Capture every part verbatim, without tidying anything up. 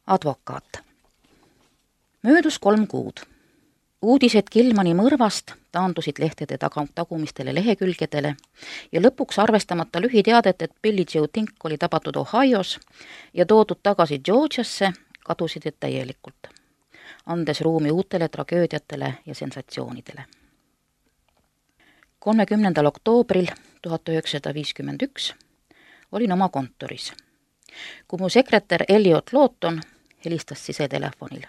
Advokaat. Möödus kolm kuud. Uudised Kilmani mõrvast taandusid lehtede taga, tagumistele lehekülgedele ja lõpuks arvestamata lühiteadet, et Billie Joe Tink oli tabatud Ohios ja toodud tagasi Georgiasse, kadusid need täielikult, andes ruumi uutele tragöödiatele ja sensatsioonidele. kolmekümnendal oktoobril tuhat üheksasada viiskümmend üks olin oma kontoris, kui mu sekretär Elliot Lawton helistas sisetelefonil.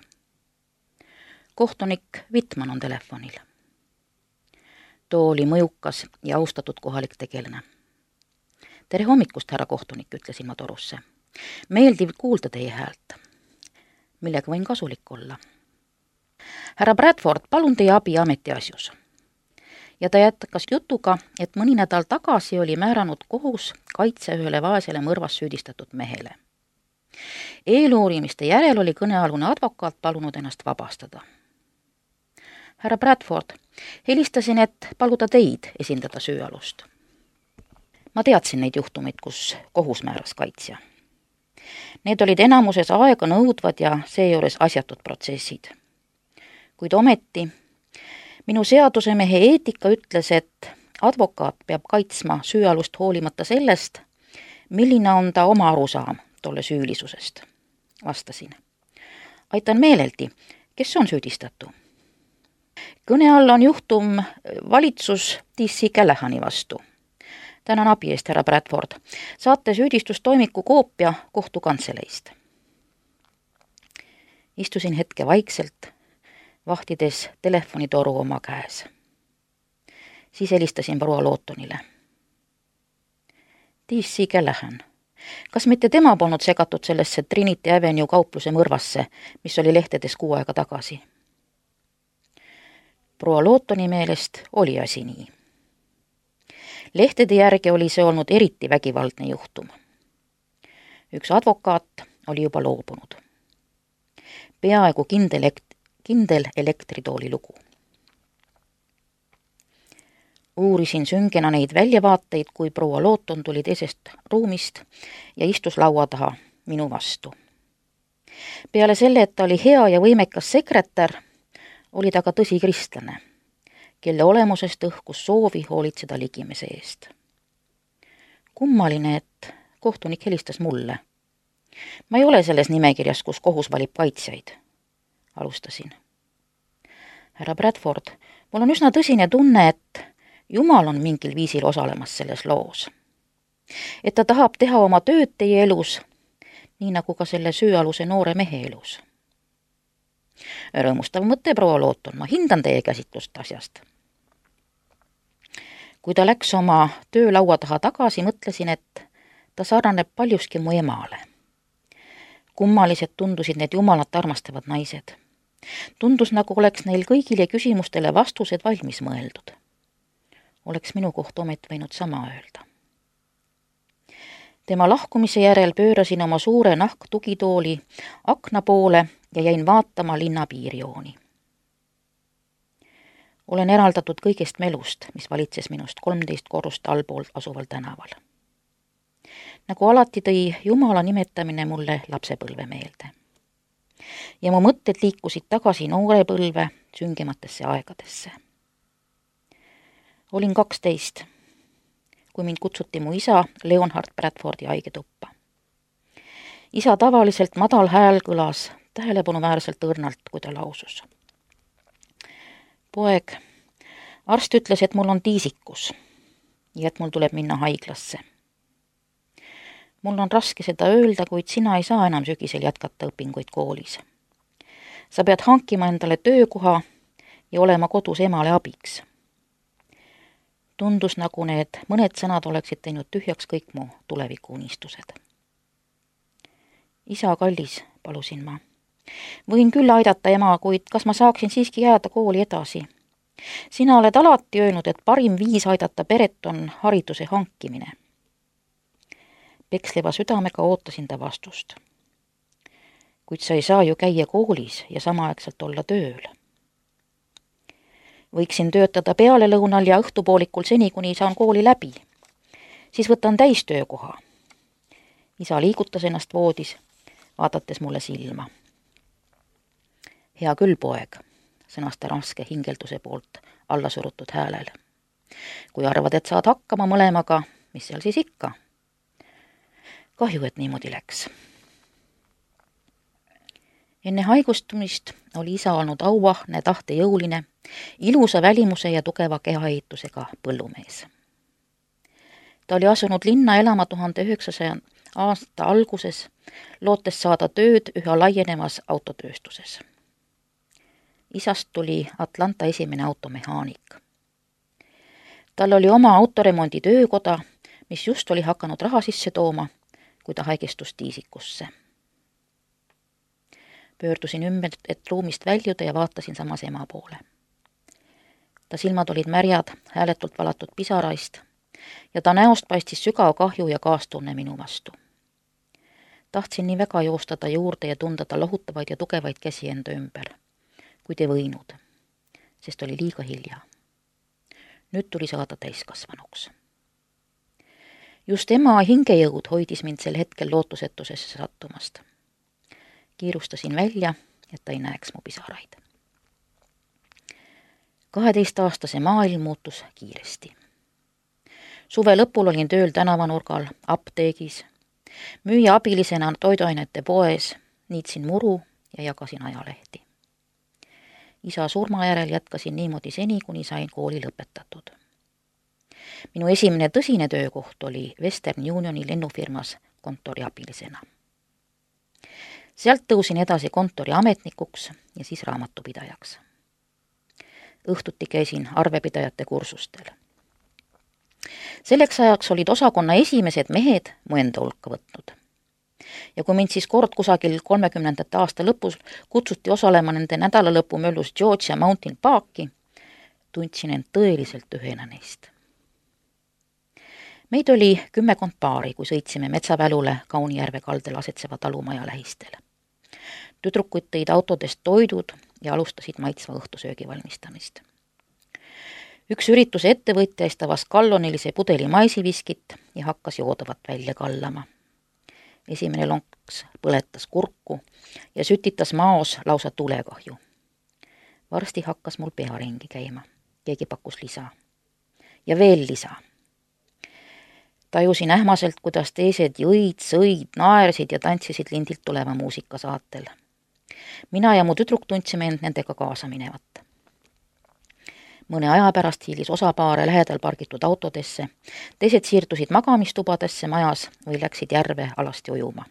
Kohtunik Wittmann on telefonil. Too oli mõjukas ja austatud kohalik tegelane. Tere hommikust, härra kohtunik, ütlesin ma torusse. Meeldiv kuulda teie häält. Millega võin kasulik olla? Härra Bradford, palun teie abi ametiasjus. Ja ta jätkas jutuga, et mõni nädal tagasi oli määranud kohus kaitse ühele vaesele mõrvas süüdistatud mehele. Eeluurimiste järel oli kõnealune advokaat palunud ennast vabastada. Härra Bradford, helistasin, et paluda teid esindada süüalust. Ma teadsin neid juhtumeid, kus kohus määras kaitsja. Need olid enamuses aega nõudvad ja seejuures asjatud protsessid. Kuid ometi minu seadusemehe eetika ütles, et advokaat peab kaitsma süüalust hoolimata sellest, milline on ta oma arusaam tolle süülisusest. Vastasin. Aitan meeleldi, kes on süüdistatu? Kõne all on juhtum valitsus D C Callahani vastu. Tänan abi eest, härra Bradford. Saate süüdistustoimiku koopia kohtukantseleist. Istusin hetke vaikselt, vahtides telefonitoru oma käes. Siis helistasin proua Lawtonile. D C Callahan. Kas mitte tema polnud segatud sellesse Trinity Avenue kaupluse mõrvasse, mis oli lehtedes kuu aega tagasi? Proua Lawtoni meelest oli asi nii. Lehtede järgi oli see olnud eriti vägivaldne juhtum. Üks advokaat oli juba loobunud. Peaaegu kindel, kindel elektritooli lugu. Uurisin süngena neid väljavaateid, kui proua Lawton tuli teisest ruumist ja istus laua taha minu vastu. Peale selle, et ta oli hea ja võimekas sekretär, oli ta ka tõsi kristlane, kelle olemusest õhkus soovi hoolitseda ligimese eest. Kummaline, et kohtunik helistas mulle. Ma ei ole selles nimekirjas, kus kohus valib kaitsjaid, alustasin. Härra Bradford, mul on üsna tõsine tunne, et Jumal on mingil viisil osalemas selles loos. Et ta tahab teha oma tööd teie elus, nii nagu ka selle süüaluse noore mehe elus. Rõõmustav mõte, proua Lawton, ma hindan teie käsitlust asjast. Kui ta läks oma töölaua taha tagasi, mõtlesin, et ta sarnaneb paljuski mu emale. Kummalised tundusid need jumalat armastavad naised. Tundus, nagu oleks neil kõigile küsimustele vastused valmis mõeldud. Oleks minu koht omet võinud sama öelda. Tema lahkumise järel pöörasin oma suure nahktugitooli akna poole ja jäin vaatama linna piirjooni. Olen eraldatud kõigest melust, mis valitses minust kolmteist korrust allpool asuval tänaval. Nagu alati tõi Jumala nimetamine mulle lapsepõlve meelde. Ja mu mõtted liikusid tagasi noorepõlve süngematesse aegadesse. Olin kaksteist, kui mind kutsuti mu isa Leonhard Bradfordi haigeduppa. Isa tavaliselt madal hääl kõlas tähelepanuväärselt õrnalt, kui ta lausus. Poeg, arst ütles, et mul on tiisikus ja et mul tuleb minna haiglasse. Mul on raske seda öelda, kuid sina ei saa enam sügisel jätkata õpinguid koolis. Sa pead hankima endale töökoha ja olema kodus emale abiks. Tundus, nagu need mõned sõnad oleksid teinud tühjaks kõik mu tulevikuunistused. Isa kallis, palusin ma. Võin küll aidata ema, kuid kas ma saaksin siiski jääda kooli edasi? Sina oled alati öelnud, et parim viis aidata peret on hariduse hankimine. Peksleva südamega ootasin ta vastust. Kuid sa ei saa ju käia koolis ja samaaegselt olla tööl. Võiksin töötada pealelõunal ja õhtupoolikul seni, kuni saan kooli läbi. Siis võtan täistöökoha. Isa liigutas ennast voodis, vaadates mulle silma. Hea küll, poeg, sõnas ta raske hingelduse poolt alla surutud häälel. Kui arvad, et saad hakkama mõlemaga, mis seal siis ikka? Kahju, et niimoodi läks. Enne haigustumist oli isa olnud auahne, tahtejõuline, ilusa välimuse ja tugeva kehaehitusega põllumees. Ta oli asunud linna elama tuhande üheksasaja aasta alguses, lootes saada tööd üha laienevas autotööstuses. Isast tuli Atlanta esimene automehaanik. Tal oli oma autoremondi töökoda, mis just oli hakanud raha sisse tooma, kui ta haigestus tiisikusse. Pöördusin ümber, et ruumist väljuda ja vaatasin samas ema poole. Ta silmad olid märjad, hääletult valatud pisaraist ja ta näost paistis sügav kahju ja kaastunne minu vastu. Tahtsin nii väga joosta ta juurde ja tunda ta lohutavaid ja tugevaid käsi enda ümber, kuid ei võinud, sest oli liiga hilja. Nüüd tuli saada täiskasvanuks. Just ema hingejõud hoidis mind sel hetkel lootusetusesse sattumast. Kiirustasin välja, et ta ei näeks mu pisaraid. kaheteistaastase maailm muutus kiiresti. Suve lõpul olin tööl tänavanurgal, apteegis, müüja abilisena toiduainete poes, niitsin muru ja jagasin ajalehti. Isa surma järel jätkasin niimoodi seni, kuni sain kooli lõpetatud. Minu esimene tõsine töökoht oli Western Unioni lennufirmas kontoriabilisena. Sealt tõusin edasi kontori ametnikuks ja siis raamatupidajaks. Õhtuti käisin arvepidajate kursustel. Selleks ajaks olid osakonna esimesed mehed mu enda hulka võtnud. Ja kui mind siis kord kusagil kolmekümnendate aasta lõpus kutsuti osalema nende nädalalõpu möllus Georgia Mountain Parki, tundsin end tõeliselt ühena neist. Meid oli kümmekond paari, kui sõitsime metsavälule Kaunijärve kaldel asetseva talumaja lähistel. Tüdrukuid tõid autodest toidud ja alustasid maitsva õhtusöögi valmistamist. Üks ürituse ettevõtjaist avas kallonilise pudeli maisiviskit ja hakkas joodavat välja kallama. Esimene lonks põletas kurku ja sütitas maos lausa tulekahju. Varsti hakkas mul pea ringi käima. Keegi pakkus lisa. Ja veel lisa. Tajusin ähmaselt, kuidas teised jõid, sõid, naersid ja tantsisid lindilt tuleva muusika saatel. Mina ja mu tüdruk tundsime end nendega kaasa minevat. Mõne aja pärast hiilis osapaare lähedal pargitud autodesse, teised siirdusid magamistubadesse majas või läksid järve alasti ujuma.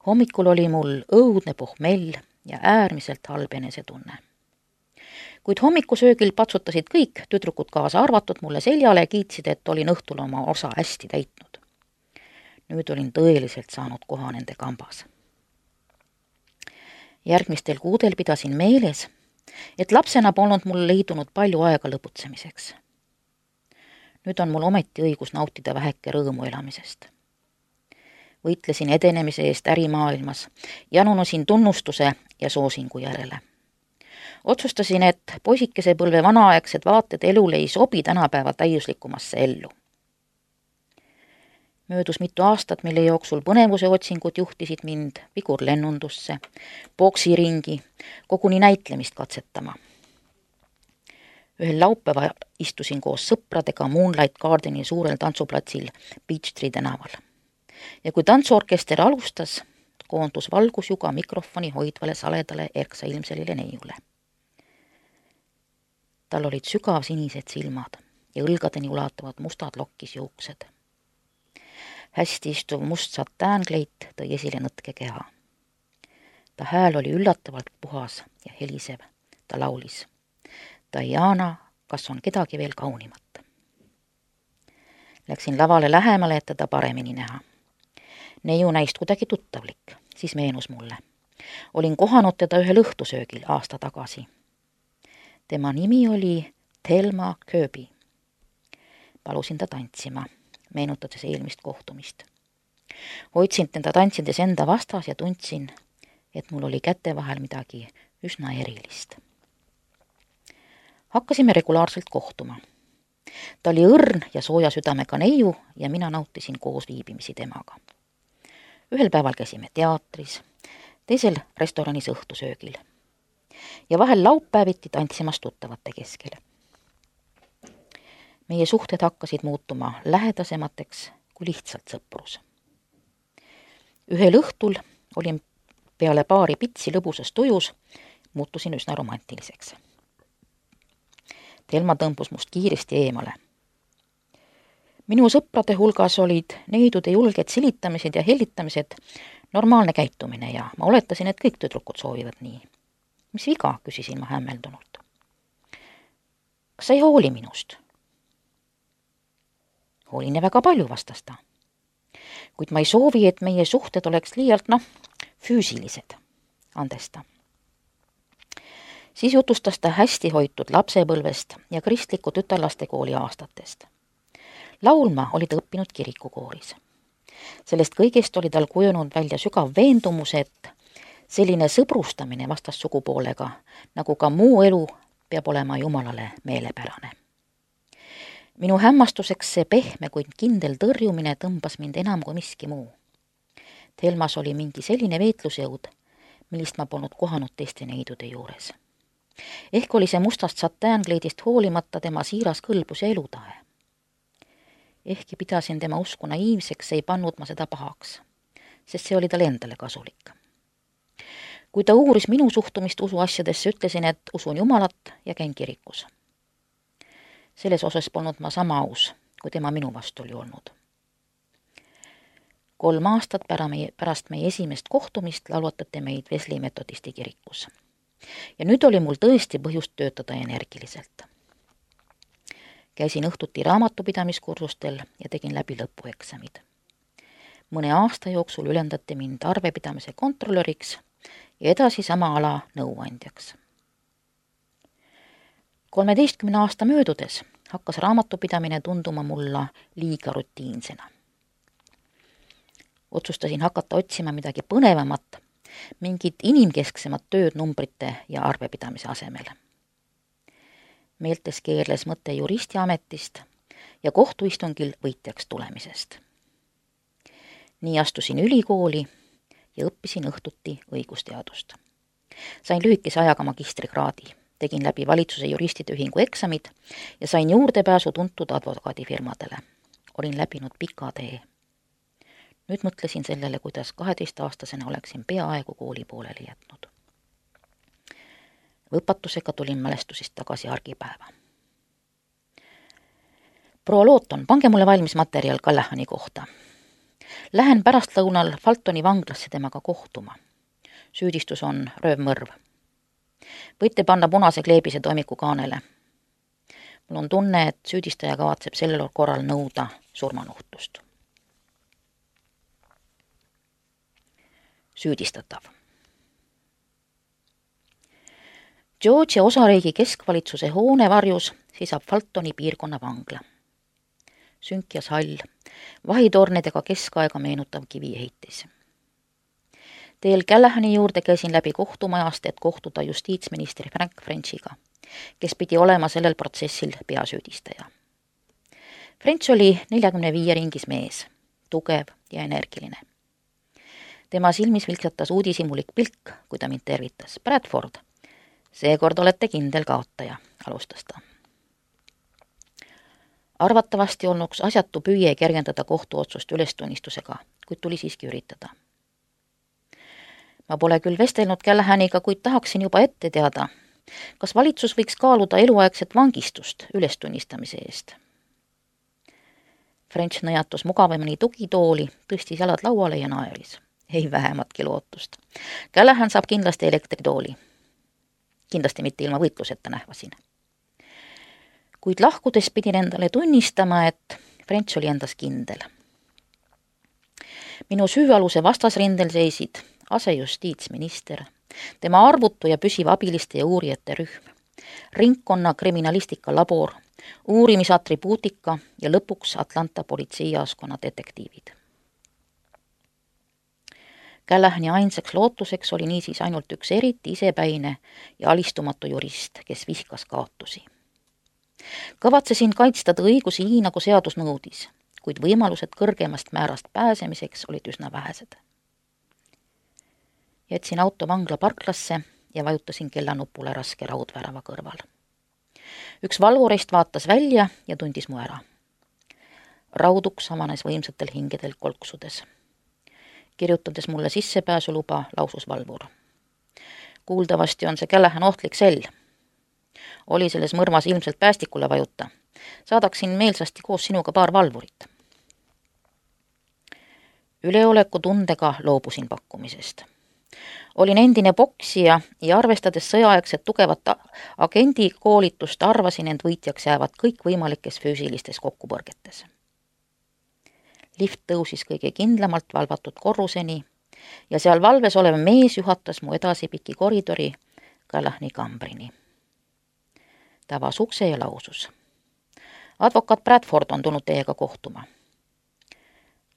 Hommikul oli mul õudne pohmell ja äärmiselt halb enesetunne. Kuid hommikusöögil patsutasid kõik, tüdrukud kaasa arvatud, mulle seljale ja kiitsid, et olin õhtul oma osa hästi täitnud. Nüüd olin tõeliselt saanud koha nende kambas. Järgmistel kuudel pidasin meeles, et lapsena polnud mul leidunud palju aega lõputsemiseks. Nüüd on mul ometi õigus nautida väheke rõõmu elamisest. Võitlesin edenemise eest ärimaailmas, janunusin tunnustuse ja soosingu järele. Otsustasin, et poisikese põlve vanaaegsed vaated elule ei sobi tänapäeva täiuslikumasse ellu. Möödus mitu aastat, mille jooksul põnevuse otsingud juhtisid mind vigurlennundusse, boksiringi, koguni näitlemist katsetama. Ühel laupäeva istusin koos sõpradega Moonlight Gardeni suurel tantsuplatsil Peachtree tänaval. Ja kui tantsuorkester alustas, koondus valgusjuga mikrofoni hoidvale saledale erksailmselile neiule. Tal olid sügav sinised silmad ja õlgadeni ulatuvad mustad lokkis juuksed. Hästi istuv must satäänkleid tõi esile nõtke keha. Ta hääl oli üllatavalt puhas ja helisev. Ta laulis: Diana, kas on kedagi veel kaunimat? Läksin lavale lähemale, et teda paremini näha. Neiu näist kuidagi tuttavlik, siis meenus mulle. Olin kohanud teda ühel õhtusöögil aasta tagasi. Tema nimi oli Thelma Kirby. Palusin ta tantsima, meenutades eelmist kohtumist. Hoidsin teda tantsides enda vastas ja tundsin, et mul oli käte vahel midagi üsna erilist. Hakkasime regulaarselt kohtuma. Ta oli õrn ja sooja südamega neiu ja mina nautisin koos viibimisi temaga. Ühel päeval käisime teatris, teisel restoranis õhtusöögil ja vahel laupäeviti tantsimas tuttavate keskel. Meie suhted hakkasid muutuma lähedasemateks kui lihtsalt sõprus. Ühel õhtul olin peale paari pitsi lõbusas tujus, muutusin üsna romantiliseks. Telma tõmbus must kiiresti eemale. Minu sõprade hulgas olid neidude julged silitamised ja hellitamised normaalne käitumine ja ma oletasin, et kõik tüdrukud soovivad nii. Mis viga, küsisin ma hämmeldunult. Kas sa ei hooli minust? Hoolin ja väga palju, vastas ta. Kuid ma ei soovi, et meie suhted oleks liialt, noh, füüsilised, andes ta. Siis jutustas ta hästi hoitud lapsepõlvest ja kristliku tütarlaste kooli aastatest. Laulma oli ta õppinud kirikukooris. Sellest kõigest oli tal kujunud välja sügav veendumus, et selline sõbrustamine vastassugupoolega, nagu ka muu elu, peab olema Jumalale meelepärane. Minu hämmastuseks see pehme, kuid kindel tõrjumine tõmbas mind enam kui miski muu. Telmas oli mingi selline veetlusjõud, millist ma polnud kohanud teiste neidude juures. Ehk oli see mustast satänkleidist hoolimata tema siiras kõlbus ja elutahe. Ehkki pidasin tema usku naiivseks, ei pannud ma seda pahaks, sest see oli tal endale kasulik. Kui ta uuris minu suhtumist usuasjadesse, ütlesin, et usun Jumalat ja käin kirikus. Selles osas polnud ma sama aus, kui tema minu vastu oli olnud. Kolm aastat pärast meie esimest kohtumist laulvatati meid Wesley metodisti kirikus. Ja nüüd oli mul tõesti põhjust töötada energiliselt. Käisin õhtuti raamatupidamiskursustel ja tegin läbi lõpueksamid. Mõne aasta jooksul ülendati mind arvepidamise kontrollöriks ja edasi sama ala nõuandjaks. kolmeteistkümne aasta möödudes hakkas raamatupidamine tunduma mulla liiga rutiinsena. Otsustasin hakata otsima midagi põnevamat, mingit inimkesksemat tööd numbrite ja arvepidamise asemel. Meeltes keerles mõte juristi ametist ja kohtuistungil võitjaks tulemisest. Nii astusin ülikooli ja õppisin õhtuti õigusteadust. Sain lühikese ajaga magistrikraadi, tegin läbi valitsuse juristide ühingu eksamid ja sain juurdepääsu tuntud advokaadifirmadele. Olin läbinud pika tee. Nüüd mõtlesin sellele, kuidas kaheteistaastasena oleksin peaaegu kooli pooleli jätnud. Võpatusega tulin mälestusest tagasi argipäeva. Proua Looton, pange mulle valmis materjal Callahani kohta. Lähen pärastlõunal Faltoni vanglasse temaga kohtuma. Süüdistus on röövmõrv. Võite panna punase kleebise toimiku kaanele. Mul on tunne, et süüdistaja kavatseb sellel korral nõuda surmanuhtlust. Süüdistatav. Georgia osariigi keskvalitsuse hoone varjus seisab Faltoni piirkonna vangla. Sünkjas hall, vahitornidega keskaega meenutav kiviehitis. Teel Callahani juurde käisin läbi kohtumajast, et kohtuda justiitsministri Frank Frenchiga, kes pidi olema sellel protsessil peasüüdistaja. French oli neljakümne viie ringis mees, tugev ja energiline. Tema silmis vilksatas uudishimulik pilk, kui ta mind tervitas. Bradford, seekord olete kindel kaotaja, alustas ta. Arvatavasti olnuks asjatu püüe kergendada kohtuotsust ülestunnistusega, kuid tuli siiski üritada. Ma pole küll vestelnud Callahaniga, kuid tahaksin juba ette teada, kas valitsus võiks kaaluda eluaegset vangistust ülestunnistamise eest. French nõjatus mugavamini tugitooli, tõstis jalad lauale ja naeris. Ei vähematki lootust. Callahan saab kindlasti elektritooli. Kindlasti mitte ilma võitluseta nähvasin. Kuid lahkudes pidin endale tunnistama, et French oli endas kindel. Minu süüaluse vastasrindel seisid asejustiitsminister, tema arvutu ja püsiv abiliste ja uurijate rühm, ringkonna kriminalistika labor, uurimisatribuutika ja lõpuks Atlanta politseijaoskonna detektiivid. Callahani ainsaks lootuseks oli niisiis ainult üks eriti isepäine ja alistumatu jurist, kes vihkas kaotusi. Kavatsesin kaitsta ta õigusi nii, nagu seadus nõudis, kuid võimalused kõrgemast määrast pääsemiseks olid üsna vähesed. Jätsin auto vangla parklasse ja vajutasin kellanupule raske raudvärava kõrval. Üks valvurist vaatas välja ja tundis mu ära. Rauduks avanes võimsatel hingedel kolksudes. Kirjutades mulle sissepääsuluba, lausus valvur. Kuuldavasti on see Callahan ohtlik sell. Oli selles mõrmas ilmselt päästikule vajuta. Saadaksin meelsasti koos sinuga paar valvurit. Üleoleku tundega loobusin pakkumisest. Olin endine poksija ja arvestades sõjaaegset tugevat agendi koolitust arvasin end võitjaks jäävad kõik võimalikes füüsilistes kokkupõrgetes. Lift tõusis kõige kindlamalt valvatud korruseni ja seal valves olev mees juhatas mu edasi piki koridori Callahani kambrini. Ta avas ukse ja lausus. Advokaat Bradford on tulnud teiega kohtuma.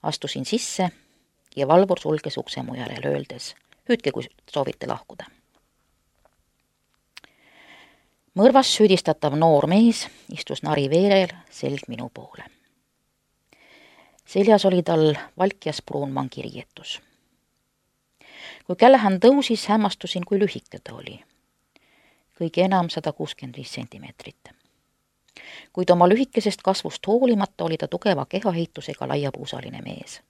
Astusin sisse ja valvur sulges ukse mu järel öeldes, hüüdke, kui soovite lahkuda. Mõrvas süüdistatav noor mees istus nari veerel selg minu poole. Seljas oli tal valkjas pruun mangiriietus. Kui Callahan tõusis, hämmastusin, kui lühike ta oli. Kõige enam sada kuuskümmend viis sentimeetrit. Kuid oma lühikesest kasvust hoolimata oli ta tugeva kehahiitusega laiapuusaline mees.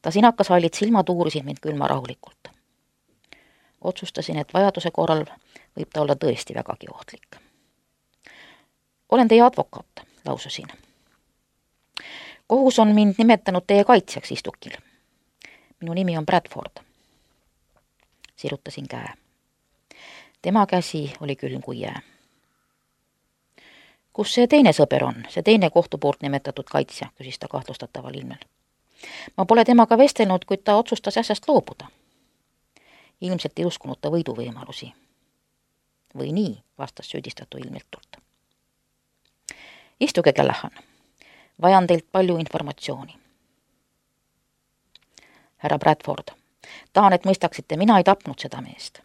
Ta sinakas hallid silmad uurisid mind külma rahulikult. Otsustasin, et vajaduse korral võib ta olla tõesti vägagi ohtlik. Olen teie advokaat, laususin. Kohus on mind nimetanud teie kaitsjaks istukil. Minu nimi on Bradford. Sirutasin käe. Tema käsi oli külm kui jää. Kus see teine sõber on, see teine kohtu poolt nimetatud kaitsja, küsis ta kahtlustataval ilmel. Ma pole temaga vestelnud, kuid ta otsustas asjast loobuda. Ilmselt ei uskunud ta võiduvõimalusi. Või nii, vastas süüdistatu ilmiltult. Istuge, Callahan. Vajan teilt palju informatsiooni. Härra Bradford, tahan, et mõistaksite, mina ei tapnud seda meest.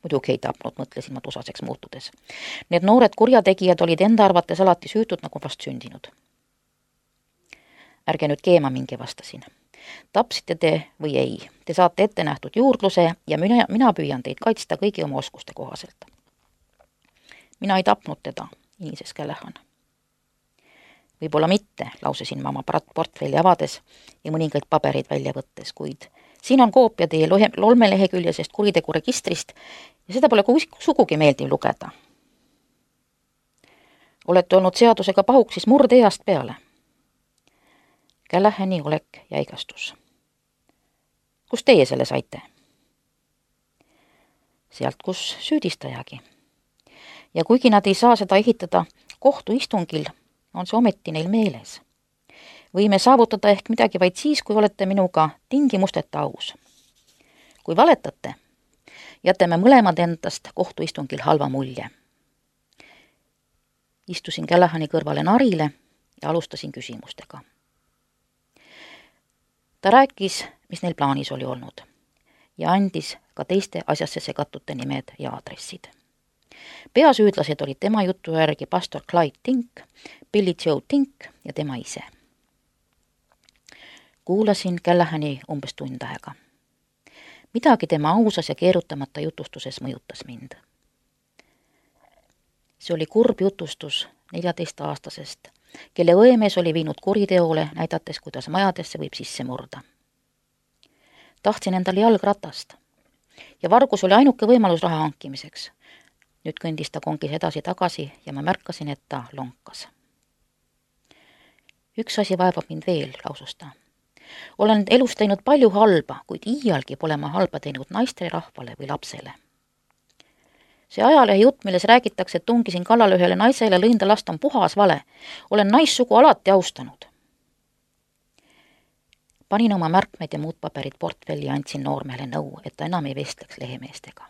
Muidugi ei tapnud, mõtlesin ma tusaseks muutudes. Need noored kurjategijad olid enda arvates alati süütud nagu vast sündinud. Ärge nüüd keema mingi, vastasin. Tapsite te või ei? Te saate ette nähtud juurdluse ja mina, mina püüan teid kaitsta kõigi oma oskuste kohaselt. Mina ei tapnud teda, inises Callahan. Võib-olla mitte, lausesin ma oma portfelli avades ja mõningaid pabereid välja võttes, kuid siin on koopia teie lolmeleheküljesest kuriteguregistrist ja seda pole sugugi meeldiv lugeda. Olete olnud seadusega pahuksis murdeeast peale. Callahani olek jäigastus. Kus teie selle saite? Sealt, kus süüdistajagi. Ja kuigi nad ei saa seda ehitada kohtuistungil, on see ometi neil meeles. Võime saavutada ehk midagi vaid siis, kui olete minuga tingimusteta aus. Kui valetate, jätame mõlemad endast kohtuistungil halva mulje. Istusin Callahani kõrvale narile ja alustasin küsimustega. Ta rääkis, mis neil plaanis oli olnud ja andis ka teiste asjasse segatute nimed ja aadressid. Peasüüdlased olid tema jutu järgi pastor Clyde Tink, Billy Joe Tink ja tema ise. Kuulasin Callahani umbes tund aega. Midagi tema ausas ja keerutamata jutustuses mõjutas mind. See oli kurb jutustus neljateistaastasest, kelle õemees oli viinud kuriteole, näidates, kuidas majadesse võib sisse murda. Tahtsin endale jalgratast ja vargus oli ainuke võimalus raha hankimiseks. Nüüd kõndis ta kongis edasi tagasi ja ma märkasin, et ta lonkas. Üks asi vaevab mind veel, lausus ta. Olen elus teinud palju halba, kuid iialgi pole ma halba teinud naistele, rahvale või lapsele. See ajalehe jutt, milles räägitakse, et tungisin kallale ühele naisele, lõin ta last, on puhas vale. Olen naissugu alati austanud. Panin oma märkmeid ja muud paberid portfelli ja andsin noormehele nõu, et ta enam ei vestleks lehemeestega.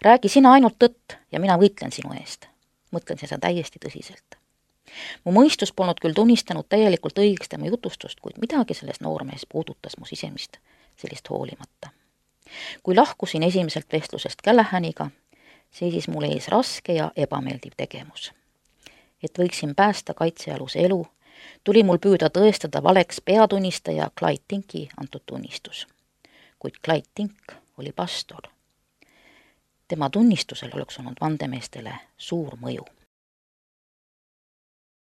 Räägi sina ainult tõtt ja mina võitlen sinu eest. Mõtlen seda täiesti tõsiselt. Mu mõistus polnud küll tunnistanud täielikult õigeks tema jutustust, kuid midagi selles noormees puudutas mu sisemist sellist hoolimata. Kui lahkusin esimeselt vestlusest Callahaniga, seisis mul ees raske ja ebameeldiv tegemus. Et võiksin päästa kaitsealuse elu, tuli mul püüda tõestada valeks peatunnistaja Clyde Tinki antud tunnistus. kuid Clyde Tink oli pastor. tema tunnistusel oleks olnud vandemeestele suur mõju.